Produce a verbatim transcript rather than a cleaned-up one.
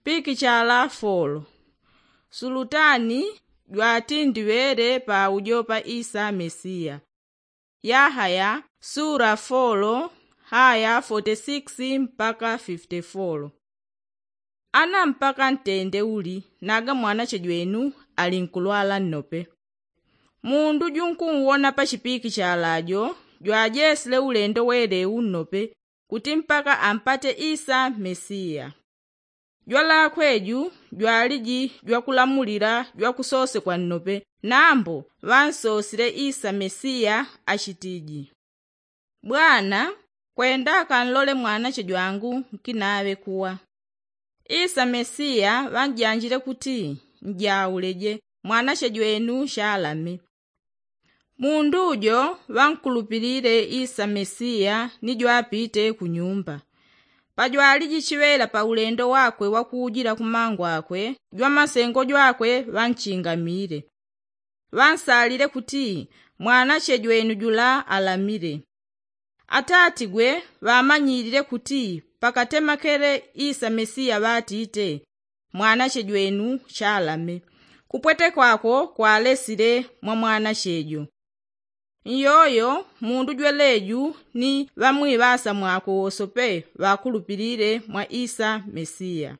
Pikichala folo. Sulutani jwati ndiŵele paujo pa isa mesiya. Yahaya sura folo haya fote sikisi mpaka fifite folo. Ana mpaka ntende uli naga mwanache jwenu ali nkulwala nnope. Mundu junkuuwona pa chipikichala jo jwajesile ulendo wele unnope kuti mpaka ampate isa mesiya. Jwalakwe ju jwaliji jwakulamulila jwakusosekwa nnope. Nambo ŵansosile isa mesiya achitiji, bwana, kwenda akanlole mwanache jwangu nkinaŵe kuwa. Isa mesiya ŵanjanjile kuti, njauleje, mwanache jwenu chalame. Mundu jo ŵankulupilile isa mesiya ni jwapite kunyumba. Pajwaliji chiŵela paulendo wakwe wakujila kumangu akwe jwamasengo jwakwe ŵanchingamile. Ŵansalile kuti, mwanache jwenu jula alamile. Atatigwe ŵamanyilile kuti pakatemakele isa mesiya ŵatite, mwanache jwenu chalame. Kupweteko ako kwalesile mwa mwanache jo. Nyoyo mundu jweleju ni ŵamwiŵasa mwakwe wosope ŵakulupilile mwa isa mesiya.